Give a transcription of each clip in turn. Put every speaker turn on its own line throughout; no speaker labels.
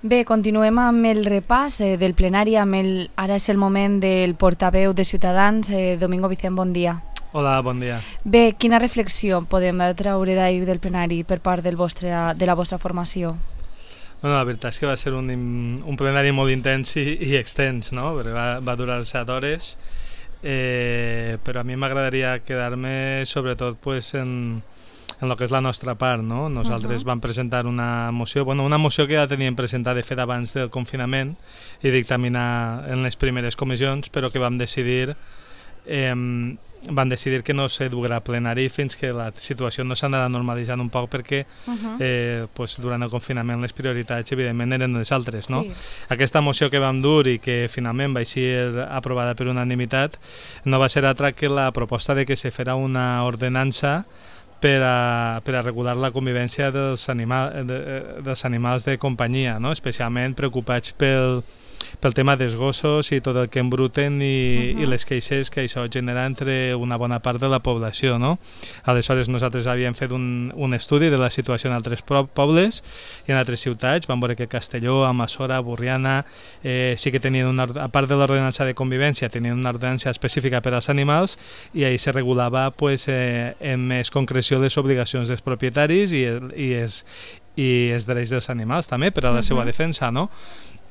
Bé, continuem amb el repàs del plenari. Ara és el moment del portaveu de Ciutadans, Domingo Vicent, bon dia.
Hola, bon dia.
Bé, quina reflexió podem treure d'ahir del plenari per part de la vostra formació?
Bueno, la veritat és que va ser un plenari molt intens i extens, no? Perquè va durar 7 hores, però a mi m'agradaria quedar-me sobretot pues, en el que és la nostra part, no? Nosaltres vam presentar una moció que ja teníem presentada de fet abans del confinament i dictaminar en les primeres comissions, però que vam decidir que no se duguerà a plenari fins que la situació no s'anarà normalitzant un poc perquè durant el confinament les prioritats evidentment eren les altres, no? Sí. Aquesta moció que vam dur i que finalment va ser aprovada per unanimitat no va ser altra que la proposta de que se fera una ordenança per a regular la convivència dels animals de companyia, no? Especialment preocupats pel tema dels gossos i tot el que embruten i les queixes que això genera entre una bona part de la població, no? Aleshores nosaltres havíem fet un estudi de la situació en altres pobles i en altres ciutats. Vam veure que Castelló, Almassora, Borriana sí que tenien a part de l'ordenança de convivència, tenien una ordenança específica per als animals i ahí se regulava en més concreció les obligacions dels propietaris i els drets dels animals també per a la seva defensa, no?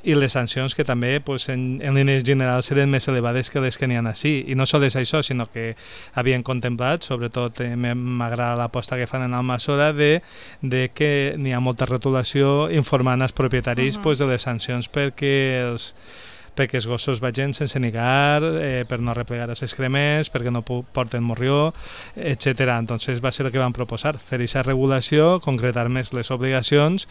I les sancions que també en línies generals eren més elevades que les que n'hi ha així. I no sols això, sinó que havien contemplat, sobretot m'agrada l'aposta que fan en Almassora, de que n'hi ha molta retolació informant als propietaris de les sancions perquè els gossos vagin sense nigar, per no replegar els excrements, perquè no porten morrió, etc. Entonces va ser el que vam proposar, fer aquesta regulació, concretar més les obligacions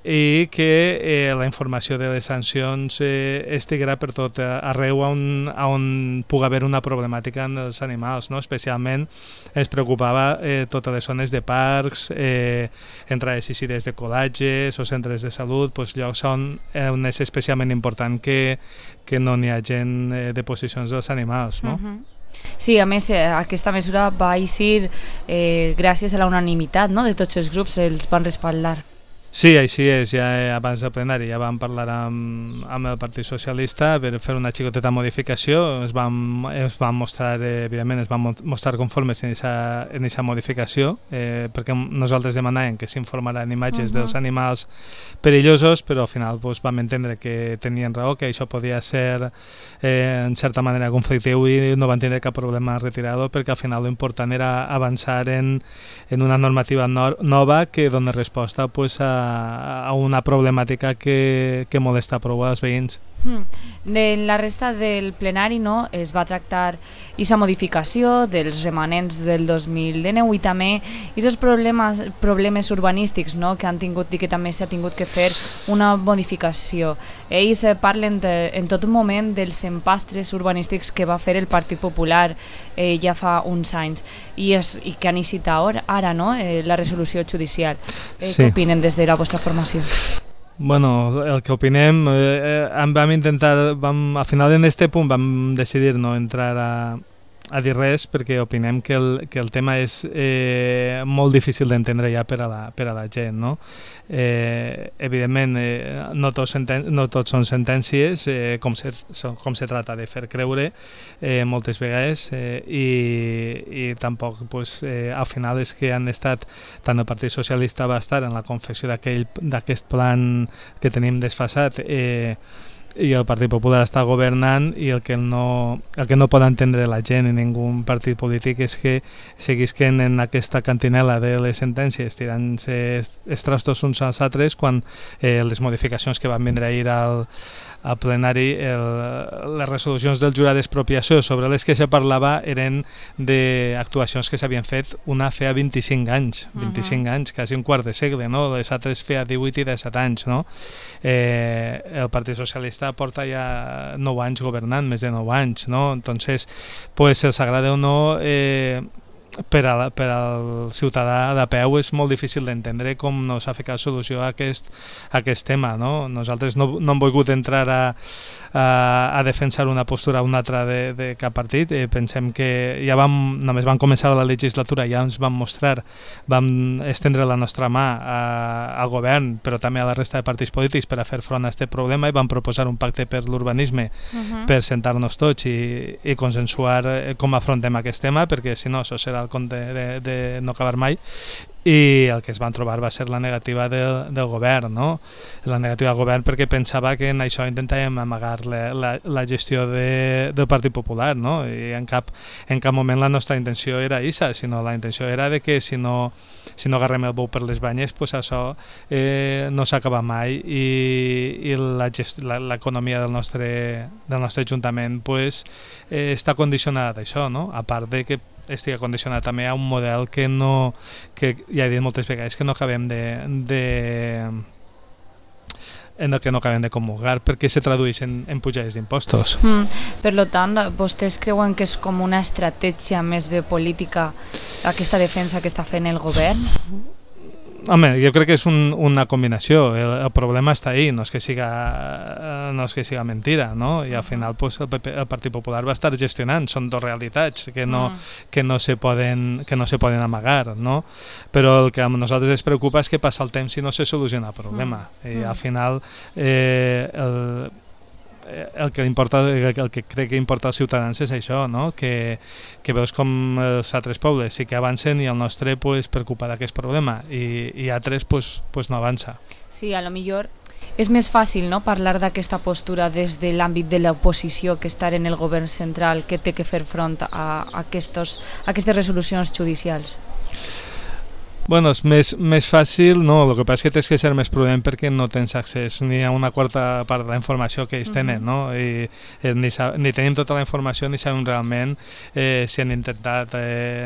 i que la informació de les sancions estiguera per tot arreu on pugui haver una problemàtica en els animals, no? Especialment ens preocupava totes les zones de parcs, entrades i eixides de col·latges o centres de salut, llocs on és especialment important que no n'hi hagi deposicions dels animals, no?
Sí, a més aquesta mesura va eixir gràcies a la unanimitat, no? De tots els grups els van respaldar.
Sí, així és, ja abans del plenari ja vam parlar amb el Partit Socialista per fer una xicoteta modificació, es van mostrar, evidentment, es van mostrar conformes en aquesta modificació, perquè nosaltres demanàvem que s'informaran imatges dels animals perillosos, però al final vam entendre que tenien raó, que això podia ser en certa manera conflictiu i no van tindre cap problema a retirar-ho, perquè al final l'important era avançar en una normativa nova que doni resposta a una problemàtica que molesta prou als veïns.
De la resta del plenari es va tractar aquesta modificació dels remanents del 2019 i també aquests problemes urbanístics que han tingut i que també s'ha tingut que fer una modificació. Ells parlen en tot moment dels empastres urbanístics que va fer el Partit Popular ja fa uns anys i que han eixit ara, la resolució judicial. Què opinen des de la vostra formació?
Bueno, el que opinem, al final en este punt vam decidir no entrar a dir res perquè opinem que el tema és molt difícil d'entendre ja per a la gent, no? Evidentment no tots són sentències, com se trata de fer creure moltes vegades i tampoc al final és que han estat, tant el Partit Socialista va estar en la confecció d'aquest plan que tenim desfasat i el Partit Popular està governant i el que no pot entendre la gent en ningú partit polític és que seguisquen en aquesta cantinela de les sentències tirant-se els trastos uns als altres quan les modificacions que van vindre ahir al plenari, les resolucions del jurat d'expropiació sobre les que se parlava eren d'actuacions que s'havien fet una feia 25 anys, 25 anys, quasi un quart de segle, no? Les altres feia 18 i 17 anys, no? El Partit Socialista porta ja 9 anys governant, més de 9 anys, no? Entonces, els agrada o no, per al ciutadà de peu és molt difícil d'entendre com no s'ha ficat solució a aquest tema, no? Nosaltres no hem volgut entrar a defensar una postura o una altra de cap partit. Pensem que ja només vam començar la legislatura, ja ens vam mostrar, vam estendre la nostra mà al govern, però també a la resta de partits polítics per a fer front a aquest problema, i vam proposar un pacte per l'urbanisme per sentar-nos tots i consensuar com afrontem aquest tema, perquè si no això serà el compte de no acabar mai. I el que es van trobar va ser la negativa del govern, no? La negativa del govern perquè pensava que en això intentàvem amagar la gestió del Partit Popular, no? I en cap moment la nostra intenció era aquesta, sinó la intenció era de que si no agarrem el bou per les banyes, pues això no s'acaba mai, i l'economia del nostre Ajuntament pues, està condicionada d'això, no? A part de que estigui condicionat també a un model que ja he dit moltes vegades que no acabem de comulgar, perquè se tradueix en pujades d'impostos.
Per tant, vostès creuen que és com una estratègia més bé política aquesta defensa que està fent el govern?
Home, jo crec que és una combinació. El problema està ahí, no és que siga mentira, no? I al final pues, el Partit Popular va estar gestionant. Són dues realitats que no se poden amagar, no? Però el que a nosaltres ens preocupa és que passa el temps i no se soluciona el problema. I al final el que crec que importa als ciutadans és això, no? Que veus com els altres pobles sí que avancen i el nostre pues, preocupa d'aquest problema, i altres pues, no avança.
Sí, a lo millor és més fàcil, no?, parlar d'aquesta postura des de l'àmbit de l'oposició que estar en el govern central, que té que fer front a aquestes resolucions judicials.
Bueno, és més fàcil, no, el que passa és que tens que ser més prudent perquè no tens accés ni a una quarta part de la informació que ells tenen, no? I ni tenim tota la informació ni sabem realment si han intentat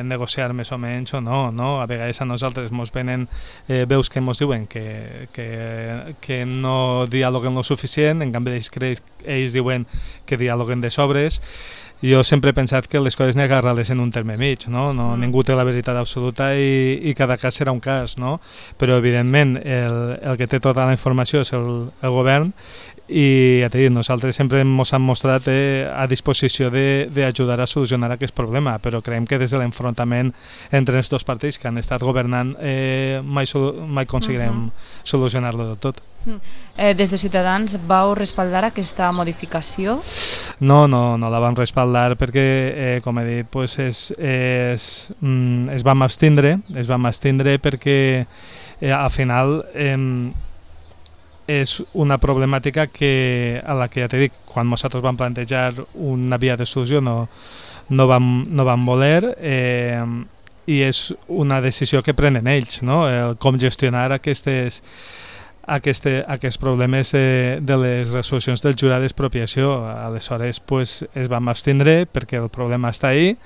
negociar més o menys o no, no? A vegades a nosaltres ens venen veus que ens diuen que no dialoguen lo suficient, en canvi ells diuen que dialoguen de sobres. Jo sempre he pensat que les coses n'hi ha que agarrar-les en un terme mig, no? Ningú té la veritat absoluta i cada cas serà un cas, no? Però evidentment el que té tota la informació és el govern, i ja t'he dit, nosaltres sempre ens hem mostrat a disposició d'ajudar a solucionar aquest problema, però creiem que des de l'enfrontament entre els dos partits que han estat governant mai aconseguirem solucionar-lo del tot.
Des de Ciutadans vau respaldar aquesta modificació?
No la vam respaldar perquè, com he dit, pues es vam abstindre perquè al final és una problemàtica a la que ja t'he dit, quan nosaltres vam plantejar una via de solució no vam voler, i és una decisió que prenen ells, no? Com gestionar aquests problemes de les resolucions del jurat d'expropiació. Aleshores pues, es vam abstindre perquè el problema està ahí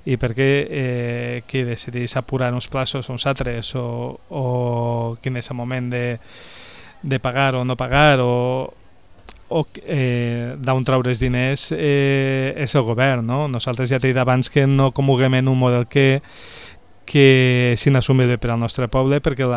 i perquè qui decidís apurar uns plaços uns altres o quin és el moment de pagar o no pagar o d'on treure els diners és el govern, no? Nosaltres ja t'he dit abans que no comulguem en un model que és inassumible per al nostre poble, perquè ho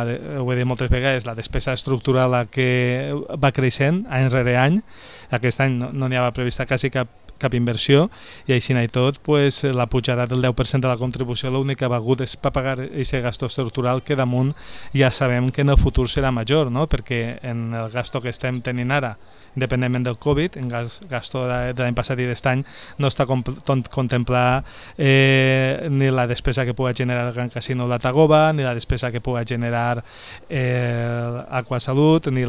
he dit moltes vegades, la despesa estructural que va creixent any rere any. Aquest any no n'hi havia prevista quasi cap inversió, i així i tot pues, la pujada del 10% de la contribució l'únic que ha hagut és per pagar aquest gasto estructural que damunt ja sabem que en el futur serà major, no? Perquè en el gasto que estem tenint ara, independentment del Covid, en gasto de l'any passat i d'est any, no està contemplar ni la despesa que pugui generar el Gran Casino La Tagoba, ni la despesa que pugui generar Aquasalut, ni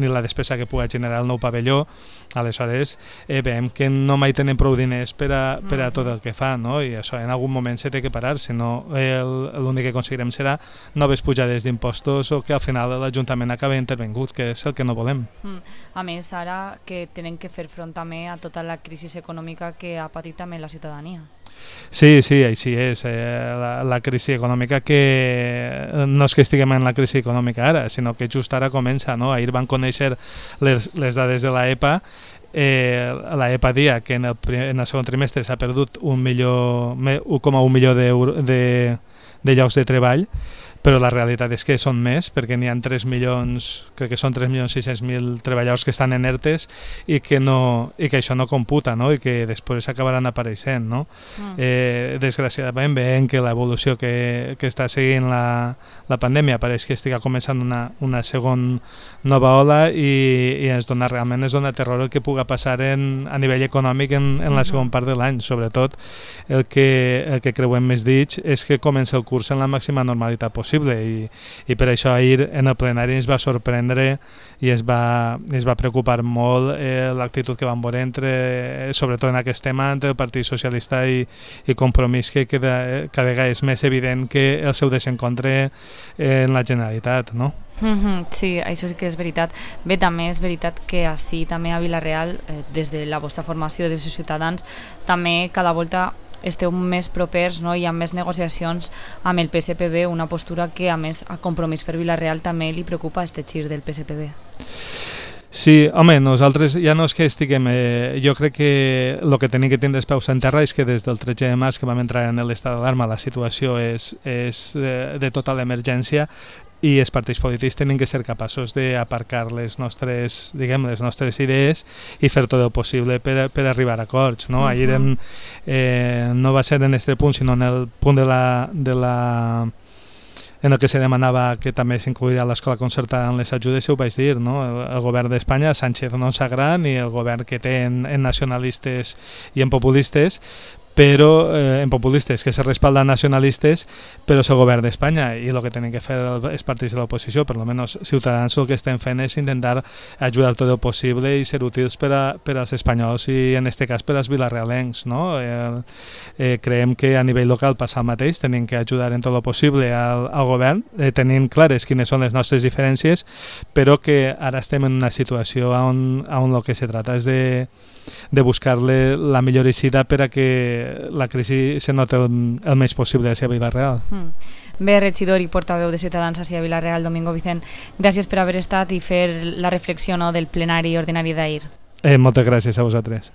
la despesa que pugui generar el nou pavelló. Aleshores, veiem que no mai tenen prou diners per a tot el que fa, no? I això en algun moment se té que parar, si no l'únic que aconseguirem serà noves pujades d'impostos o que al final l'Ajuntament acabi intervingut, que és el que no volem.
A més, ara que tenen que fer front també a tota la crisi econòmica que ha patit també la ciutadania.
Sí, així és. La crisi econòmica que no és que estiguem en la crisi econòmica ara, sinó que just ara comença, no? Ahir van conèixer les dades de la EPA. La EPA dia que en el segon trimestre s'ha perdut 1,1 milió de llocs de treball, però la realitat és que són més, perquè n'hi ha 3 milions, crec que són 3.600.000 treballadors que estan en ERTES i que això no computa, no? I que després acabaran apareixent, no? Desgraciadament veiem que l'evolució que està seguint la pandèmia pareix que estigui començant una segona nova ola i ens dona terror el que pugui passar a nivell econòmic en la segona part de l'any. Sobretot el que creuem més dits és que comença el curs en la màxima normalitat possible i per això ahir en el plenari ens va sorprendre i es va preocupar molt l'actitud que van veure sobretot en aquest tema entre el Partit Socialista i Compromís, que cada vegada és més evident que el seu desencontre en la Generalitat, no?
Sí, això sí que és veritat. Bé, també és veritat que així també a Vila-real, des de la vostra formació des de Ciutadans, també cada volta esteu més propers, no? Hi ha més negociacions amb el PSPB, una postura que a més a Compromís per Vila-real també li preocupa este gir del PSPB.
Sí, home, nosaltres ja no és que estiguem... jo crec que el que tenim que tindre els peus en terra és que des del 13 de març que vam entrar en l'estat d'alarma la situació és de total emergència i els partits polítics tenen que ser capaços d'aparcar les nostres idees i fer tot el possible per arribar a acords, no? Ahir no va ser en aquest punt, sinó en el punt en el que se demanava que també s'incluiria l'escola concertada en les ajudes, ho vaig dir, no? El govern d'Espanya, Sánchez no ens agrada, ni el govern que té en nacionalistes i en populistes, però en populistes que se respalden nacionalistes, però és el govern d'Espanya i el que tenen que fer els partits de l'oposició, per almenys Ciutadans, el que estem fent és intentar ajudar tot el possible i ser útils per als espanyols i en aquest cas per als vilarealencs, no? Creiem que a nivell local passa el mateix, tenim que ajudar en tot el possible al govern, tenim clares quines són les nostres diferències, però que ara estem en una situació on el que se trata és de buscar-le la millor eixida per a que la crisi se nota el més possible hacia Vila-real.
Bé, regidor i portaveu de Ciutadans hacia Vila-real, Domingo Vicent, gràcies per haver estat i fer la reflexió, no, del plenari ordinari d'ahir.
Moltes gràcies a vosaltres.